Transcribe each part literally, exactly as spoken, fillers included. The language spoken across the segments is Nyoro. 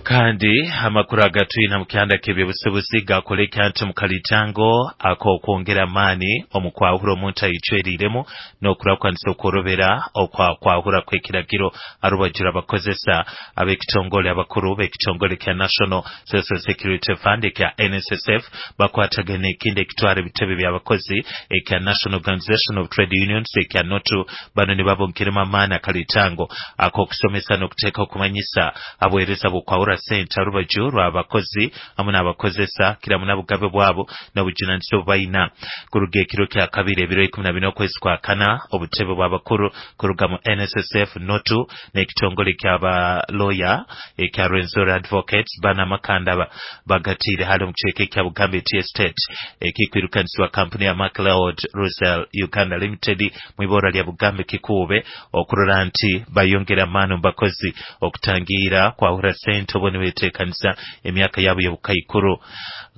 Kandi amakuru agatwina mu kyanda k'ebyobusubuzi gakoleka nti mu kalitango ak'okwongera amaani omu kwahura omuntu ayicweriremu n'okurakwanisa okworobera okwa kwahura kw'ekiragiro arubajura abakozesa ab'ekitongole abakuru b'ekitongole kya National Social Security Fund ekya N S S F bakwatagana ekindi ekitwara ebitebe by'abakozi ekya National Organization of Trade Unions ekya NOTU. Bano nibabonkeremu amaani akalitango ak'okusomesa n'okuteeka okumanyisa abuheereza bw'okwahura sente arubaju rw'abakozi hamwe n'abakozesa kiramu n'obugabe bwabo n'obujunanizibwa obubaina. Kuruga ekiro kya kabiri ebiro ikumi na bina okwezi kwa kana, obutebe bw'abakuru kuruga mu N S S F, NOTU n'ekitongole ky'abaloya ekya Rwenzori Advocates bana makanda bagatiire hali omu kicweka ekya Bugambe Tea Estate ekikwirukanisibwa kampuni ya MacLeod Russell Uganda Limited mu ibora lya Bugambe Kikuube okurora nti bayongera amaani omu bakozi okutangira kwahura sente obo nibeteekanisa emyaka yabo y'obukaikuru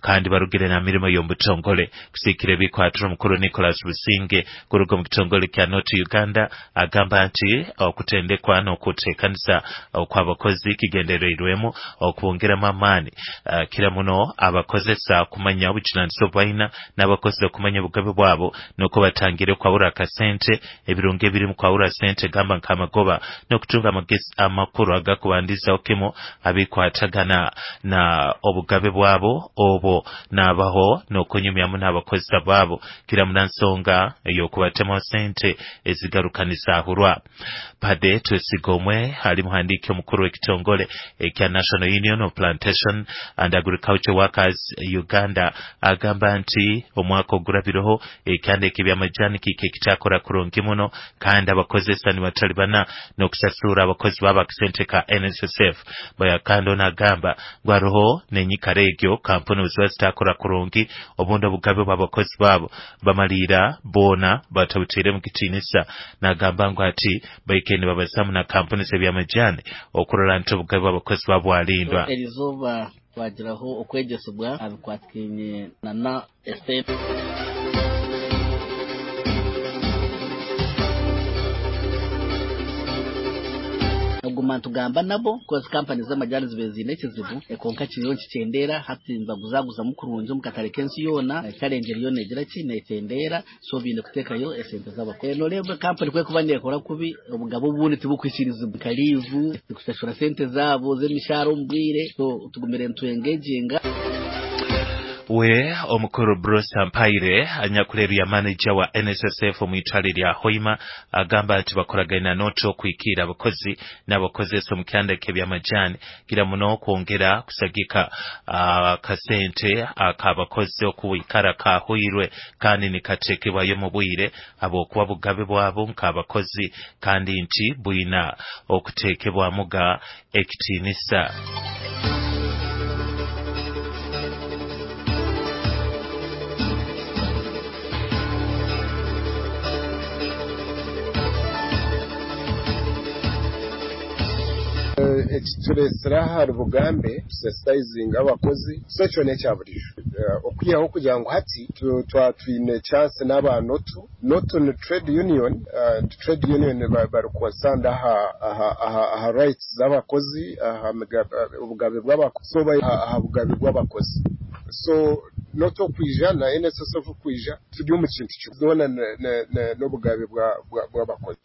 kandi barugire na mirimo y'omubutongole. Kusiikira ebikwatiro omukuru Nicholas Businge kuruga omu kitongole kya NOTU Uganda agamba nti okutendekwa n'okuteekanisa okw'abakozi kigendereirwemu okwongeramu amaani uh, kira muno abakozesa okumanya obujunanizibwa obubaina n'abakozi okumanya obugabe bwabo n'oku batangire kwahura akasente, ebirungo ebirimu kwahura sente gamba nk'amagoba n'okutunga amagezi amakuru agakubandizaho kimu abikwatagana na obugabe bwabo obo nabaho n'okunyumyamu n'abakozesa baabo kira munansonga ey'okubatemaho sente ezigarukanisa ahurwa. Pade Twesigomwe ali muhandiki omukuru w'ekitongole ekya National Union of Plantation and Agriculture Workers Uganda agamba nti omwaka ogurabireho ekyanda eky'ebyamajani kike kitakora kurungi muno kandi abakozesa nibatalibana n'okusasura abakozi babo akasente ka N S S F. Bayakando nagamba ngu hariho n'enyikara egyo kampuni ziba zitakora kurungi obundi obugabe bw'abakozi babo bamalira boona batabutaire mu kitiinisa. Nagamba ngu ati baike nibabazamu na kampuni z'ebyamajani okurora nti obugabe bw'abakozi babo bwalindwa. Erizoba twagiraho okwegesebwa abikwatikaine na na estate. Oguma tugamba nabo cause companies z'amajani zibe zine ekizibu ekonka kiriyo kikendera hati mbaguzaguza mukurungi mu katale kensi yona challenge eriyo negira ki netendera so bine kutekayo esente z'abakwe noreba company kwe kuba nekora kubi obugabo obundi tibukwikirizibwa kalivu kusashura sente zabo z'emishahara omubwire so tugumire ntuengaginga. We omukuru Bruce Ampaire anyakuleru ya manager wa N S S F omwitwale lya Hoima agamba nti bakoragana NOTU okwikira abakozi n'abakozesa omu kyanda ky'ebyamajani kira muno kwongera kusagika akasente akabakozi okuwikara kahuirwe kandi nikatekebwayo mu bwire abokuba bugabe bwabo nk'abakozi kandi nti bwina okutekebwamuga ekitiinisa. Ekituresera ahari Bugambe sensitizing abakozi so ekyo n'ekya burijo okwihaho kugira ngu hati twatwine chance n'aba NOTU. NOTU ni trade union, uh, trade union bari concerned aha aha aha rights z'abakozi, aha obugabe bw'abakozi, so aha bugabe bw'abakozi. So NOTU okwija na N S S F okwija turi omu kintu kyona n'obugabe bw'abakozi.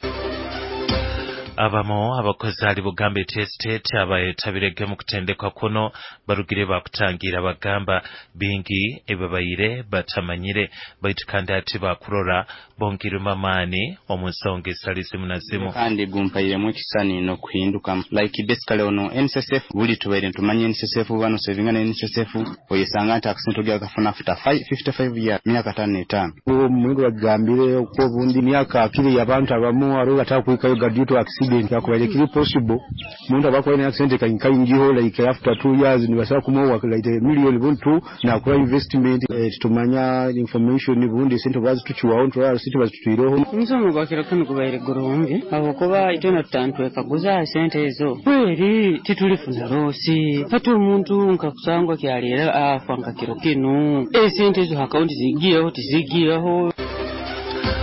Abamo abakozi ali Bugambe Tea Estate abayetabirege mu kutendekwa kuno barugire bakutangira bagamba bingi ebibaire batamanyire baitu kandi ati bakurora bongiruma amaani omu nsonga ezitali zimu na zimu. Kandi gumpairemu ekisani n'okuhinduka like basically ono N S S F buli tubaire ntumanye N S S F bano savinga na N S S F oyesanga nti akasente ogira kafuna after fifty-five years myaka tano etaano. Omungu bagambire uko bundi myaka akiri abantu abamu aro batakwikayo due to accident yakubaire kiri possible muntu abakubaire na accident kayingiho like after two years nibasaba kumuwa like a million buntu na kula investment eh, tumanya information bundi sente bazituchiwaho ntwara sente bazitwireho. Omusomo gwakiro kinu gubaire gurungi ahabwokuba itwena tutantwekaguza sente ezo kweri titulifuna loss hati omuntu nkakusangwa kyalera afa nkakiro kinu esente ezo akaunti zigiyeho tizigiyeho.